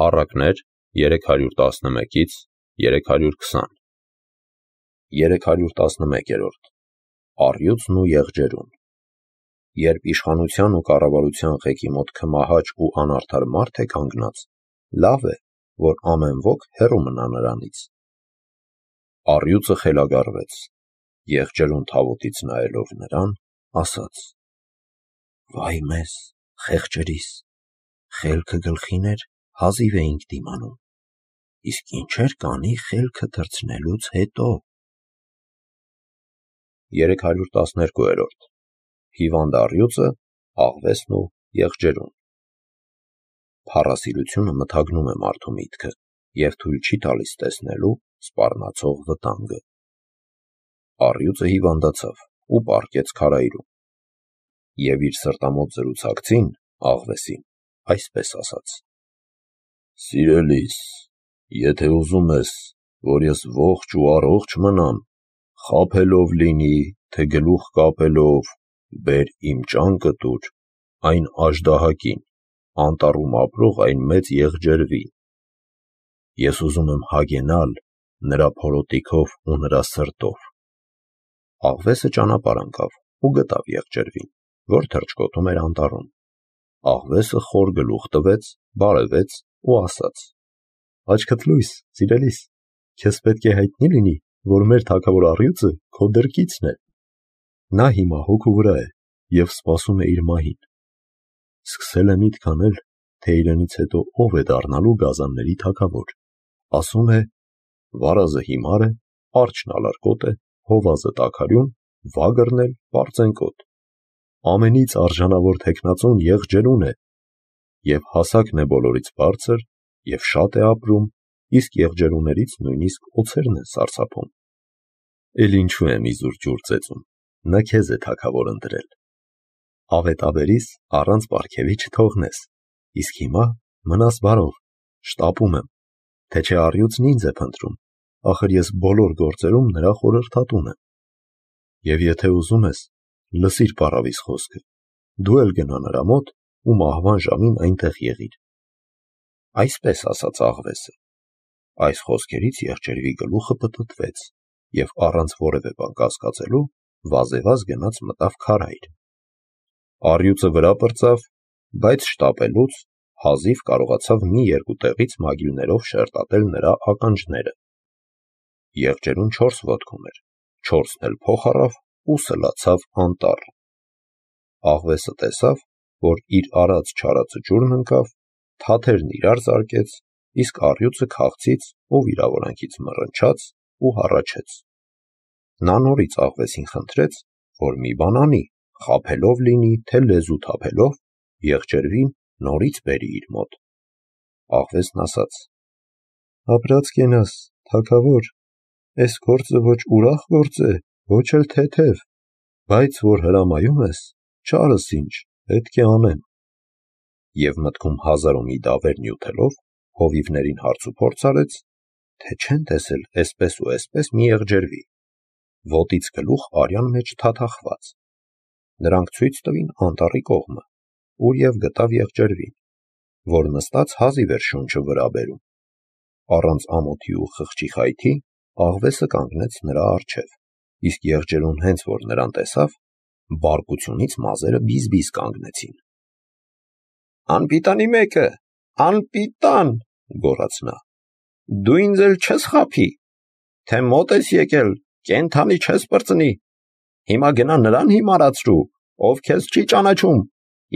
Առակներ 311-ից 320 311-րդ Առյուծն ու եղջերուն։ Երբ իշխանության ու կառավարության ղեկի մոտ քմահաճ ու անարդար մարդ է կանգնած, լավ է, որ ամեն ոք հեռու մնա նրանից։ Առյուծը խելագարվեց, եղջերուն թավուտից նայելով նրան, ասաց. «Վայ մեզ, խեղճերիս, խելքը գլխին էր, հազիվ էինք դիմանում, իսկ ինչեր կանի խելքը թռցնելուց հետո»։ 312-րդ Հիվանդ առյուծը, աղվեսն ու եղջերուն։ Փառասիրությունը մթագնում է մարդու միտքը և թույլ չի տալիս տեսնելու սպառնացող վտանգը։ Առյուծը հիվանդացավ ու պառկեց քարայրում, և իր սրտամոտ զրուցակցին, աղվեսին, այսպես ասաց. «Սիրելիս, եթե ուզում ես, որ ես ողջ ու առողջ մնամ, խաբելով լինի, թե գլուխ կապելով, բեր իմ ճանկդ ուր, այն աժդահակին, անտառում ապրող այն մեծ եղջերվին։ Ես ուզում եմ հագենալ նրա փորոտիքով ու նրա սրտով»։ Աղվեսը ճանապարհ ընկավ ու գտավ եղջերվին, որ թռչկոտում էր անտառում։ Աղվեսը խոր գլուխ տվեց, բարևեց ու ասաց. «Աչքդ լույս, սիրելիս, քեզ պետք է հայտնի լինի, որ մեր թագավոր առյուծը քո դրկիցն է։ Նա հիմա հոգու վրա է և սպասում է իր մահին։ Սկսել է միտք անել, թե իրենից հետո ով է դառնալու գազանների թագավոր։ Ասում է. վարազը հիմար է, արջն ալարկոտ է, հովազը տաքարյուն, վագրն էլ պարծենկոտ։ Ամենից արժանավոր թեկնածուն եղջերուն է, և հասակն է բոլորից բարձր, և շատ է ապրում, իսկ եղջերուներից նույնիսկ օձերն են սարսափում։ Էլ ինչու եմ իզուր ջուր ծեծում, նա քեզ է թագավոր ընտրել։ Ավետաբերիս առանց պարգևի չթողնես, իսկ հիմա մնաս բարով, շտապում եմ, թե չէ առյուծն ինձ է փնտրում, ախր ես բոլոր գործերում նրա խորհրդատուն եմ։ Եվ եթե ուզում ես, լսիր պառավիս խոսքը, դու էլ գնա նրա մոտ ու մահվան ժամին այնտեղ եղիր»։ Այսպես ասաց աղվեսը։ Այս խոսքերից եղջերվի գլուխը պտտվեց և առանց որևէ բան կասկածելու վազեվազ գնաց մտավ քարայր։ Առյուծը վրա պրծավ, բայց շտապելուց հազիվ կարողացավ մի երկու տեղից մագիլներով շերտատել նրա ականջները։ Եղջերուն 4 ոտքում էր, 4-ն էլ փոխ առավ ու սլացավ անտառ։ Աղվեսը տեսավ, որ իր արած-չարածը ջուրն ընկավ, թաթերն իրար զարկեց, իսկ առյուծը քաղցից ու վիրավորանքից մռնչաց ու հառաչեց։ Նա նորից աղվեսին խնդրեց, որ մի բան անի, խաբելով լինի, թե լեզու թափելով, եղջերվին նորից բերի իր մոտ։ Աղվեսն ասաց. «Ապրած կենաս, թագավոր, էս գործը ոչ ուրախ գործ է, ոչ էլ թեթև, բայց որ հրամայում ես, չարս ինչ, պետք է անեմ»։ Եվ մտքում հազար ու մի դավեր նյութելով, հովիվներին հարցուփորձ արեց, թե չեն տեսել էսպես ու էսպես մի եղջերվի, ոտից գլուխ արյան մեջ թաթախված։ Նրանք ցույց տվին անտառի կողմը, ուր և գտավ եղջերվին, որ նստած հազիվ էր շունչը վրա բերում։ Առանց ամոթի ու խղճի խայթի աղվեսը կանգնեց նրա առջև, իսկ եղջերուն հենց որ նրան տեսավ, բարկությունից մազերը բիզ-բիզ կանգնեցին։ «Անպիտանի մեկը, անպիտան», գոռաց նա, «դու ինձ էլ չես խաբի, թե մոտ ես եկել, կենդանի չես պրծնի։ Հիմա գնա նրան հիմարացրու, ով քեզ չի ճանաչում,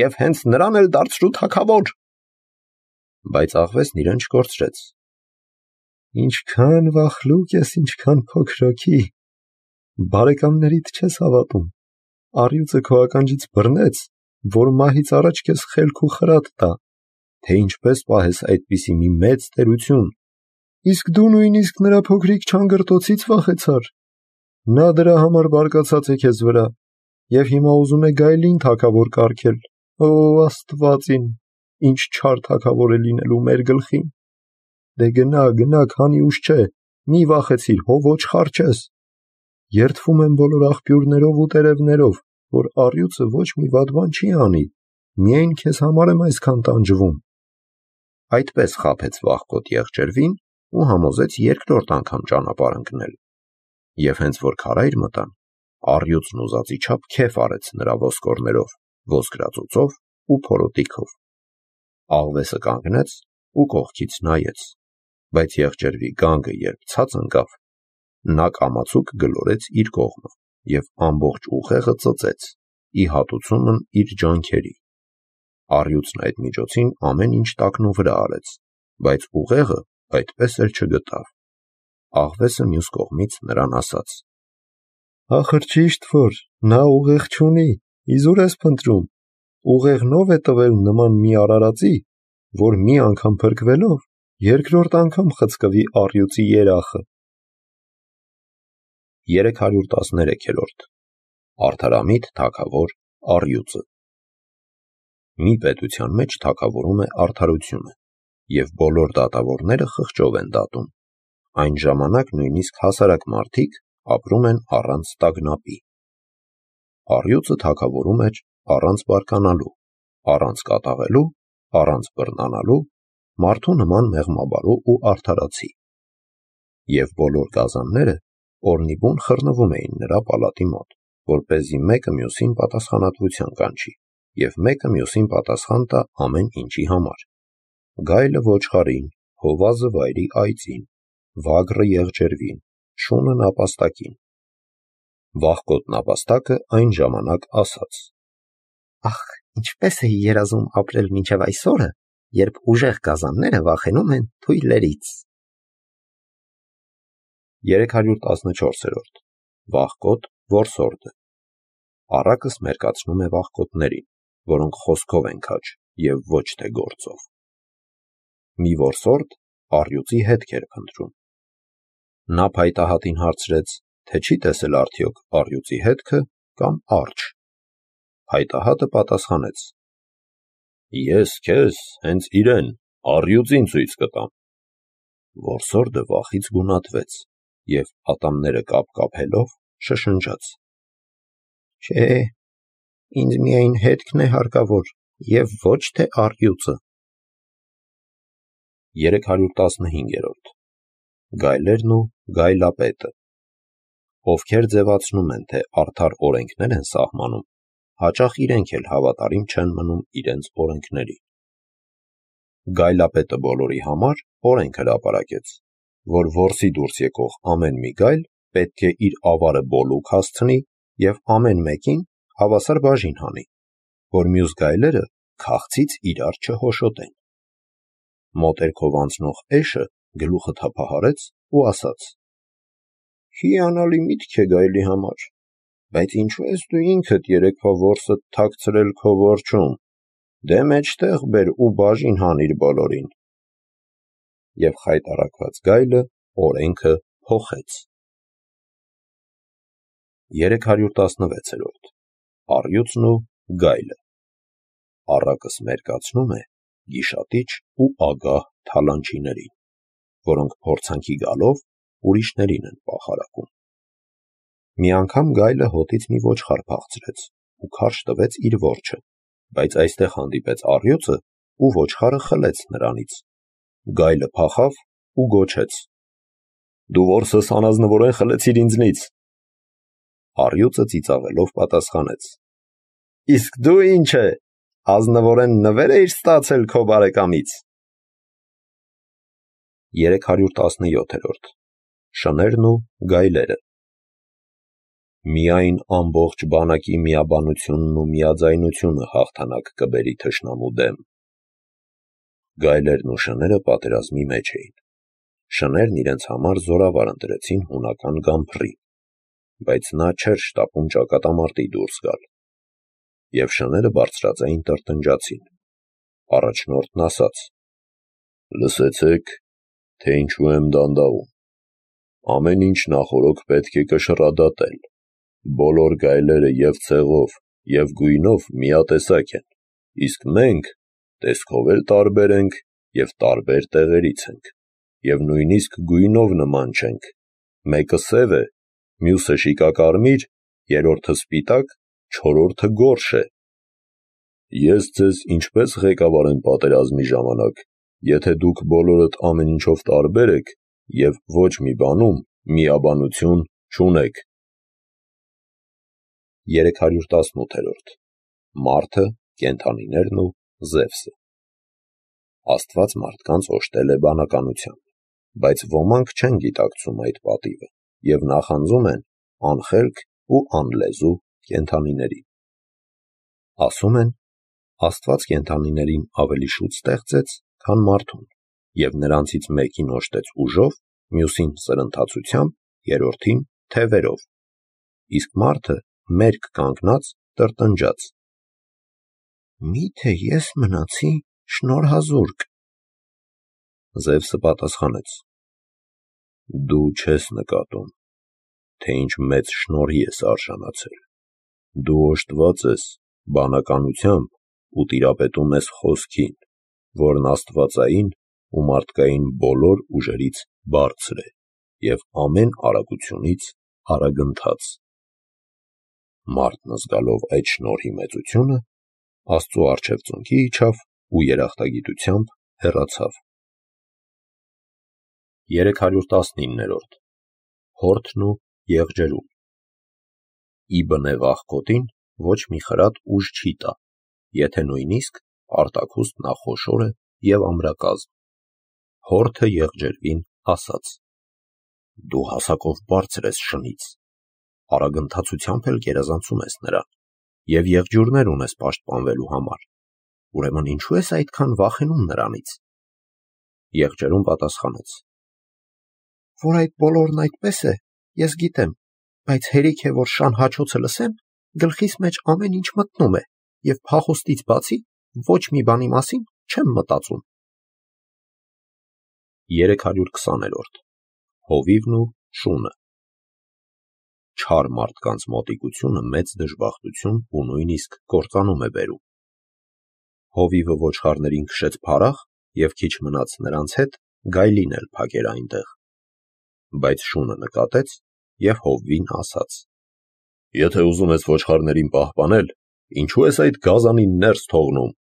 և հենց նրան էլ դարձրու թագավոր»։ Բայց աղվեսն իրեն չկորցրեց. «Ինչքան վախլուկ ես, ինչքան փոքրոքի, բարեկամներիդ չես հավատում, առյուծը քո ականջից բռնեց, որ մահից առաջ քեզ խելք ու խրատ տա, թե ինչպես պահես այդպիսի մի մեծ տերություն, իսկ դու նույնիսկ նրա փոքրիկ չանգրտոցից վախեցար։ Նա դրա համար բարկացած է քեզ վրա և հիմա ուզում է գայլին թագավոր կարգել։ Ո Աստված իմ, ինչ չար թագավոր է լինելու մեր գլխին։ Դե գնա, գնա, քանի ուշ չէ, մի վախեցիր, հո ոչխար չես։ Երդվում եմ բոլոր աղբյուրներով ու տերևներով, որ առյուծը ոչ մի վատ բան չի անի, միայն քեզ համար եմ այսքան տանջվում»։ այդպես խաբեց վախկոտ եղջերվին ու համոզեց երկրորդ անգամ ճանապարհ ընկնել։ Եվ հենց որ քարայր մտան, առյուծն ուզածի չափ քեֆ արեց նրա ոսկորներով, ոսկրածուծով ու փորոտիքով։ Աղվեսը կանգնեց ու կողքից նայեց, բայց եղջերվի գանգը երբ ցած ընկավ, նա կամացուկ գլորեց իր կողմը և ամբողջ ուղեղը ծծեց, ի հատուցումն իր ջանքերի։ Առյուծն այդ միջոցին ամեն ինչ տակնու վրա արեց, բայց ուղեղը այդպես էլ չգտավ։ Աղվեսը մյուս կողմից նրան ասաց. «Ախր ճիշտ որ նա ուղեղ չունի, իզուր ես փնտրում, ուղեղնով է տվել նման մի արարածի, որ մի անգամ փրկվելով, երկրորդ անգամ խցկվի առյուծի երախը»։ 313-րդ Արդարամիտ թագավոր առյուծը։ Մի պետության մեջ թագավորում է արդարությունը, և բոլոր դատավորները խղճով են դատում։ Այն ժամանակ նույնիսկ հասարակ մարդիկ ապրում են առանց տագնապի։ Առյուծը թագավորում էր առանց բարկանալու, առանց կատաղելու, առանց բռնանալու, մարդու նման մեղմաբարու ու արդարացի։ Եվ բոլոր գազանները օրնիբուն խռնվում էին նրա պալատի մոտ, որպեսզի մեկը մյուսին պատասխանատվության կանչի, և մեկը մյուսին պատասխան տա ամեն ինչի համար։ Գայլը ոչխարին, հովազը վայրի այծին, վագրը եղջերվին, շունը նապաստակին։ Վախկոտ նապաստակը այն ժամանակ ասաց. «Ախ, ինչպես էի երազում ապրել մինչև այսօրը, երբ ուժեղ գազանները վախենում են թույլերից»։ 314-րդ Վախկոտ որսորդը։ Առակս մերկացնում է վախկոտներին, որոնք խոսքով են քաջ և ոչ թե գործով։ Մի որսորդ առյուծի հետք էր փնտրում։ Նա փայտահատին հարցրեց, թե չի տեսել արդյոք առյուծի հետքը կամ արջ։ Փայտահատը պատասխանեց. «Ես քեզ հենց իրեն, առյուծին ցույց կտամ»։ Որսորդը վախից գունատվեց և ատամները կապկապելով շշնջաց. «Չէ, ինձ միայն հետքն է հարկավոր և ոչ թե առյուծը»։ 315-րդ Գայլերն ու գայլապետը։ Ովքեր ձևացնում են, թե արդար օրենքներ են սահմանում, հաճախ իրենք էլ հավատարիմ չեն մնում իրենց օրենքներին։ Գայլապետը բոլորի համար օրենք հրապարակեց, որ որսի դուրս եկող ամեն մի գայլ պետք է իր ավարը բոլուկ հասցնի և ամեն մեկին հավասար բաժին հանի, որ մյուս գայլերը քաղցից իրար չհոշոտեն։ Մոտերքով անցնող էշը գլուխը թափահարեց ու ասաց. «Հիանալի միտք է գայլի համար, բայց ինչու ես դու ինքդ երեկվա որսդ թաքցրել քո որջում, դե մեջտեղ բեր ու բաժին հանիր բոլորին»։ Եվ խայտառակված գայլը օրենքը փոխեց։ 316-րդ Առյուծն ու գայլը։ Առակս մերկացնում է գիշատիչ ու ագահ թալանչիներին, որոնք փորձանքի գալով ուրիշներին են պախարակում։ Մի անգամ գայլը հոտից մի ոչխար փախցրեց ու քարշ տվեց իր որջը, բայց այստեղ հանդիպեց առյուծը ու ոչխարը խլեց նրանից։ Գայլը փախավ ու գոչեց. «Դու որսս անազնվորեն խլեցիր ինձնից»։ Առյուծը ծիծաղելով պատասխանեց. «Իսկ դու ինչ է, ազնվորեն նվեր էիր ստացել քո բարեկամից»։ 317-րդ Շներն ու գայլերը։ Միայն ամբողջ բանակի միաբանությունն ու միաձայնությունը հաղթանակ կբերի թշնամու դեմ։ Գայլերն ու շները պատերազմի մեջ էին։ Շներն իրենց համար զորավար ընտրեցին հունական Գամփրի, բայց նա չէր շտապում ճակատամարտի դուրս գալ։ Եվ շները բարձրաձայն տրտնջացին։ Առաջնորդն ասաց. «Լսեցեք, թե ինչու եմ դանդաղում։ Ամեն ինչ նախօրոք պետք է կշռադատել։ Բոլոր գայլերը և ցեղով, և գույնով միատեսակ են, իսկ մենք տեսքով էլ տարբեր ենք և տարբեր տեղերից ենք, և նույնիսկ գույնով նման չենք. մեկը սև է, մյուսը շիկակարմիր, երրորդը սպիտակ, չորրորդը գորշ է։ Ես ձեզ ինչպես ղեկավարեմ պատերազմի ժամանակ, եթե դուք բոլորդ ամեն ինչով տարբեր եք և ոչ մի բանում միաբանություն չունեք։ 318-րդ Մարդը, կենդանիներն ու Զևսը։ Աստված մարդկանց օժտել է բանականությամբ, բայց ոմանք չեն գիտակցում այդ պատիվը և նախանձում են անխելք ու անլեզու կենդանիներին։ Ասում են, Աստված կենդանիներին ավելի շուտ ստեղծեց, քան մարդուն, և նրանցից մեկին օժտեց ուժով, մյուսին սրընթացությամբ, երրորդին թևերով, իսկ մարդը մերկ կանգնած տրտնջաց։ Մի՞թե ես մնացի շնորհազուրկ։ Զևսը պատասխանեց. Դու չես նկատում, թե ինչ մեծ շնորհի ես արժանացել։ Դու օժտված ես բանականությամբ ու տիրապետում ես խոսքին, որն աստվածային ու մարդկային բոլոր ուժերից բարձր է և ամեն արագությունից արագընթաց։ Մարդն զգալով այդ շնորհի մեծությունը, Աստծու առջև ծնկի իջավ ու երախտագիտությամբ հեռացավ։ 319-րդ Հորթն ու եղջերուն։ Ի բնև աղքոտին ոչ մի խրատ ուժ չի տա, եթե նույնիսկ արտաքուստ նա խոշոր է և ամրակազմ։ Հորթը եղջերվին ասաց. Դու հասակով բարձր ես շնից, արագընթացությամբ էլ գերազանցում ես նրան, և եղջյուրներ ունես պաշտպանվելու համար, ուրեմն ինչու ես այդքան վախենում նրանից։ Եղջերուն պատասխանեց. Որ այդ բոլորն այդպես է, ես գիտեմ, բայց հերիք է, որ շան հաչոցը լսեմ, գլխիս մեջ ամեն ինչ մտնում է, և փախուստից բացի ոչ մի բանի մասին չեմ մտածում։ 320-րդ Հովիվն ու շունը։ Չար մարդկանց մոտիկությունը մեծ դժբախտություն ու նույնիսկ կործանում է բերում։ Հովիվը ոչխարներին քշեց փարախ և քիչ մնաց նրանց հետ գայլին էլ փակեր այնտեղ։ Բայց շունը նկատեց և հովվին ասաց. Եթե ուզում ես ոչխարներին պահպանել, ինչու ես այդ գազանին ներս թողնում։